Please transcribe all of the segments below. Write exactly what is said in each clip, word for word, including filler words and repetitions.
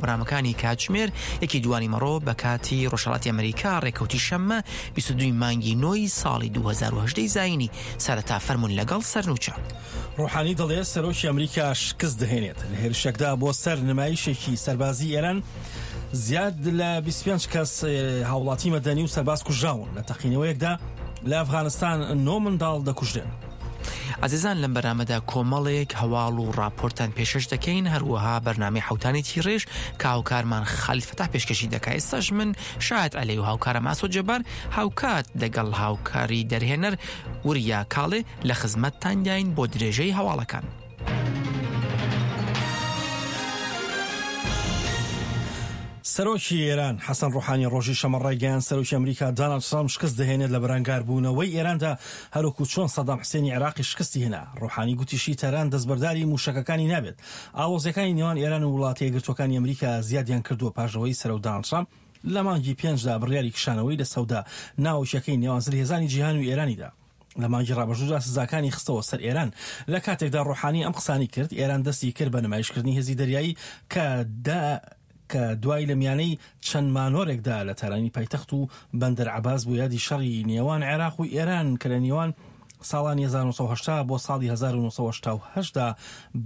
بەرنامەکانی کاتژمێر یەکی دوانی مەڕۆ بە کاتی ڕۆژهەڵاتی ئەمریکا، ڕێکەوتی شەممە بیست و دووی مانگی نۆی ساڵی دوو هەزار و هەژدە زایینی. سەرەتا فەرموون لەگەڵ سەرنوچە. ڕۆحانی دەڵێ سەرۆکی ئەمریکا شکست دەهێنێت لە هێرشێکدا بۆ سەر نمایشێکی سەربازی ئێران. زیاد لە بیست و پێنج کەس هاوڵاتی مەدەنی و سەرباز کوژراون. لە تەقینەوەیەکدا لە ئەفغانستان نۆ منداڵ دەکوژرێن. عزیزان لەم بەرنامەدا کۆمەڵێک هەواڵ و راپۆرتان پێشەش دەکەین، هەروەها بەرنامەی حوتانی تیڕێژ کە هاوکارمان خالید فەتاح پێشکەشی دەکات. ئێستاش من شاهد عەلەی و هاوکارم ئاسۆ جەبار هاوکات لەگەڵ هاوکاری دەرهێنەر وریا کاڵێ لە خزمەتتانداین بۆ درێژەی هەواڵەکان. سەرۆکی ئێران حەسەن ڕۆحانی ڕۆژی شەممە ڕایگەیاند سەرۆکی ئەمریکا داناڵد ترامپ شکست دەهێنێت لە بەرەنگاربوونەوەی ئێراندا، هەروەکو چۆن سەدام حسێنی عێراقی شکستی هێنا. ڕۆحانی گوتیشی تاران دەستبەرداری موشەکەکانی نابێت. ئاڵۆزیەکانی نێوان ئێران و وڵاتە یەکگرتووەکانی ئەمریکا زیادیان کردووە پاش ئەوەی سەرۆک داناڵد ترامپ لە مانگی پێنجدا بڕیاری کشانەوەی لە سەودا ناوچەکەی نێوان زلهێزانی جیهان و ئێرانیدا. لە مانگی ڕابردوودا سزاکانی خستەوە سەر ئێران. لە کاتێکدا ڕۆحانی ئەم قسانی کرد، ئێران دەستی کرد بە نمایشکردنی هێزی دەریایی کە دا کە دوای لە میانەی چەند مانۆرێکدا لە تارانی پایتەخت و بەندەر عەباس بۆ یادی شەڕی نێوان عێراق و ئێران کە لە نێوان ساڵانی هەزار و نۆ سەد و هەشتا بۆ ساڵی هەزار و نۆ سەد و هەشتا و هەشت دا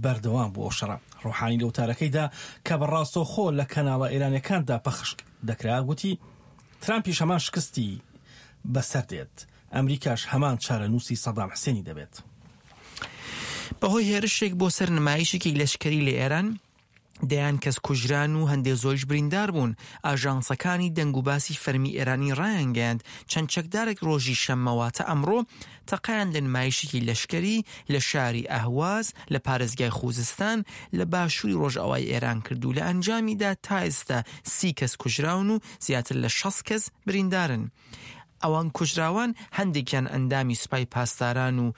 بەردەوام بوو. ئەو شەڕە ڕۆحانی لە وتارەکەیدا کە بە ڕاستەوخۆ لە کەناڵە ئێرانیەکاندا پەخش دەکرا گوتی ترامپیش هەمان شکستی بەسەر دێت، ئەمریکاش هەمان چارەنووسی سەدام حسێنی دەبێت. بەهۆی هێرشێک بۆ سەر نمایشێکی لەشکری لە ئێران دەیان کەس کوژران و هەندێک زۆریش بریندار بوون. ئاژانسەکانی دەنگ و باسی فەرمی ئێرانی ڕایانگەیاند چەند چەکدارێک ڕۆژی شەممەواتە ئەمڕۆ تەقیان لە نمایشێکی لەشکری لە شاری ئەهواز لە پارێزگای خوزستان لە باشووری ڕۆژئاوای ئێران کرد و لە ئەنجامیدا تا ئێستا سی کەس کوژراون و زیاتر لە شەست کەس بریندارن. ئەوان کوژراوان هەندێکیان ئەندامی سوپای پاسداران و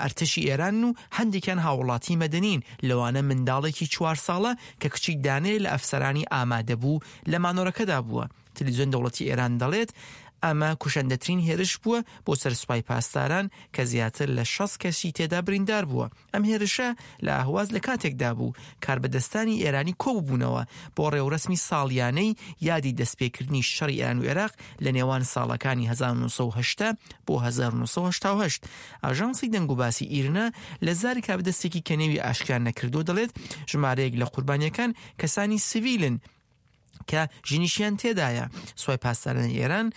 ئەرتەشی ئێران و هەندێکیان هاوڵاتی مەدەنین، لەوانە منداڵێکی چوار ساڵە کە کچی دانەیە لە ئەفسەرانی ئامادە بوو لە مانۆرەکەدا بووە. تەلەڤیزیۆن دەوڵەتی ئێران دەڵێت ئەمە کوشندەترین هێرش بووە بۆ سەر سوپای پاسداران کە زیاتر لە شەست کەسی تێدا بریندار بووە. ئەم هێرشە لە ئەهواز لە کاتێکدا بوو کاربەدەستانی ئێرانی کۆبوونەوە بۆ ڕێوڕەسمی ساڵیانەی یادی دەستپێکردنی شەڕی ئێران و عێراق لە نێوان ساڵەکانی هەزار و نۆ سەد و هەشتا بۆ هەزار و نۆ سەد و هەشتا و هەشت. ئاژانسی دەنگوباسی ئیرنا لە زاری کاربەدەستێکی کە نێوی ئاشکرا نەکردووە دەڵێت ژمارەیەک لە قوربانیەکان کەسانی سیڤیلن کە ژنیشیان تێدایە. سوپای پاسدارانی ئێران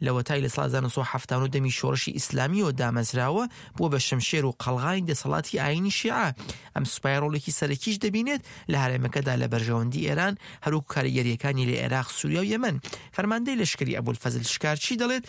لەوەتای لە ساڵ هەزار و نۆ سەد و حەفتا و نۆ دەمی شۆڕشی ئیسلامیەوە دامەزراوە بووە بە شمشێر و قەڵغانی دەسەڵاتی ئایینی شیعە. ئەم سوپای ڕۆڵێکی سەرەکیش دەبینێت لە هەرێمەکەدا لە بەرژەوەندی ئێران، هەروەکو کاریگەریەکانی لە عێراق، سووریا و یەمەن. فەرماندەی لەشکری ئەبولفەزل شکارچی دەڵێت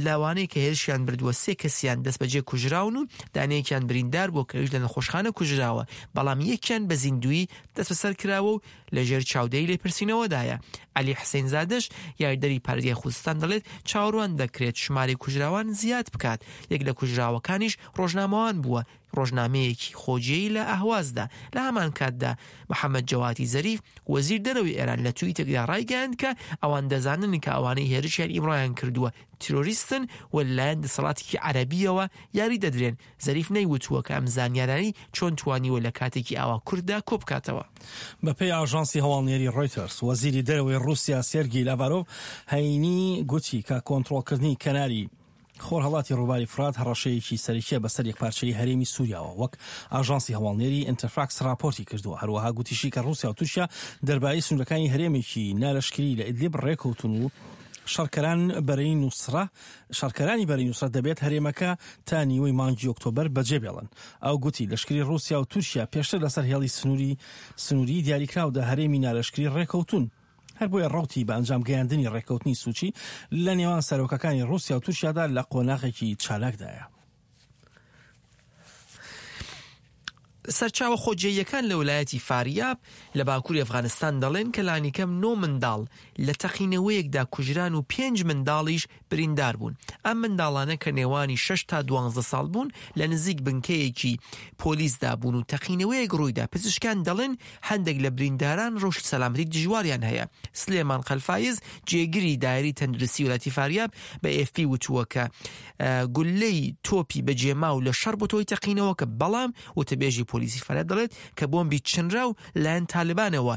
لەوانەیە کە هێرشیان بردووە سێ کەسیان دەست بەجێ کوژراون و دانەیەکیان بریندار بووە کە ئەویش لە نەخۆشخانە کوژراوە، بەڵام یەکیان بە زیندویی دەست بەسەر کراوە و لەژێر چاودێری لێپرسینەوەدایە. عەلی حسین زادەش یاریدەری پارێزگای خوزستان دەڵێت چاوەڕوان دەکرێت ژمارەی کوژراوان زیاد بکات. یەک لە کوژراوەکانیش ڕۆژنامەوان بووە، ڕۆژنامەیەکی خۆجێی لە ئەهوازدا. لە هەمان کاتدا محەممەد جەوادی زەریف وەزیر دەرەوەی ئێران لە تویتێکدا ڕایگەیاند کە ئەوان دەزانن کە ئەوانەی هێرشیان ئیمڕۆیان کردووە تیرۆریستن و لەلایەن دەسەڵاتێکی عەرەبیەوە یاری دەدرێن. زەریف نەیوتووە کە ئەم زانیارانەی چۆن توانیوە لە کاتێکی ئاوا کورددا کۆ بکاتەوە. بەپێی ئاژانسی هەواڵنێری ڕۆیتەرز، وەزیری دەرەوەی ڕووسیا سێرگی لاڤارۆڤ هەینی گوتی کە کۆنترۆڵکردنی کەناری خۆرهەڵاتی ڕووباری فرات هەڕەشەیەکی سەرەکیە بەسەر یەکپارچەی هەرێمی سووریاوە، وەک ئاژانسی هەواڵنێری ئینتەرفاکس راپۆرتی کردووە. هەروەها گوتیشی کە ڕووسیا و تورکیا دەربارەی سنوورەکانی هەرێمێکی نالەشکری لە ئیدلیب ڕێکەوتون و شەڕکەران بەرەی نوسرە شەڕکەرانی بەرەی نوسرە دەبێت هەرێمەکە تا نیوەی مانگی ئۆکتۆبەر بەجێ بێڵن. ئەو گوتی لەشکری ڕووسیا و تورکیا پێشتر لەسەر هێڵی سنووری سنووری دیاریکراودا هەرێمی نالەشکری ڕێکەوتون. هەر بۆیە ڕوتی بە ئەنجام گەیاندنی ڕێککەوتنی سوچی لە نێوان سەرۆکەکانی ڕووسیا و تورکیادا لە قۆناغێکی چالاکدایە. سەرچاوە خۆجێیەکان لە ویلایەتی فاریاب لە باکووری ئەفغانستان دەڵێن کە لانیکەم نۆ منداڵ لە تەقینەوەیەکدا کوژران و پێنج منداڵیش بریندار بوون. ئەم منداڵانە کە نێوانی شەش تا دوانزە ساڵ بوون لە نزیک بنکەیەکی پۆلیسدا بوون و تەقینەوەیەک ڕوویدا. پزیشکان دەڵێن هەندێک لە برینداران ڕەوشی سەلامەتی دژواریان هەیە. سلێمان قەلفایز جێگری دایری تەندروستی ویلایەتی فاریاب بە ئێف پی وتووە کە گولەی تۆپی بەجێماو لە شەڕ بۆ تۆی تەقینەوەکە، بەڵام وتەبێژی پۆلیسی فاریاب دەڵێت کە بۆمبی چنرا و لایەن تاالبانەوە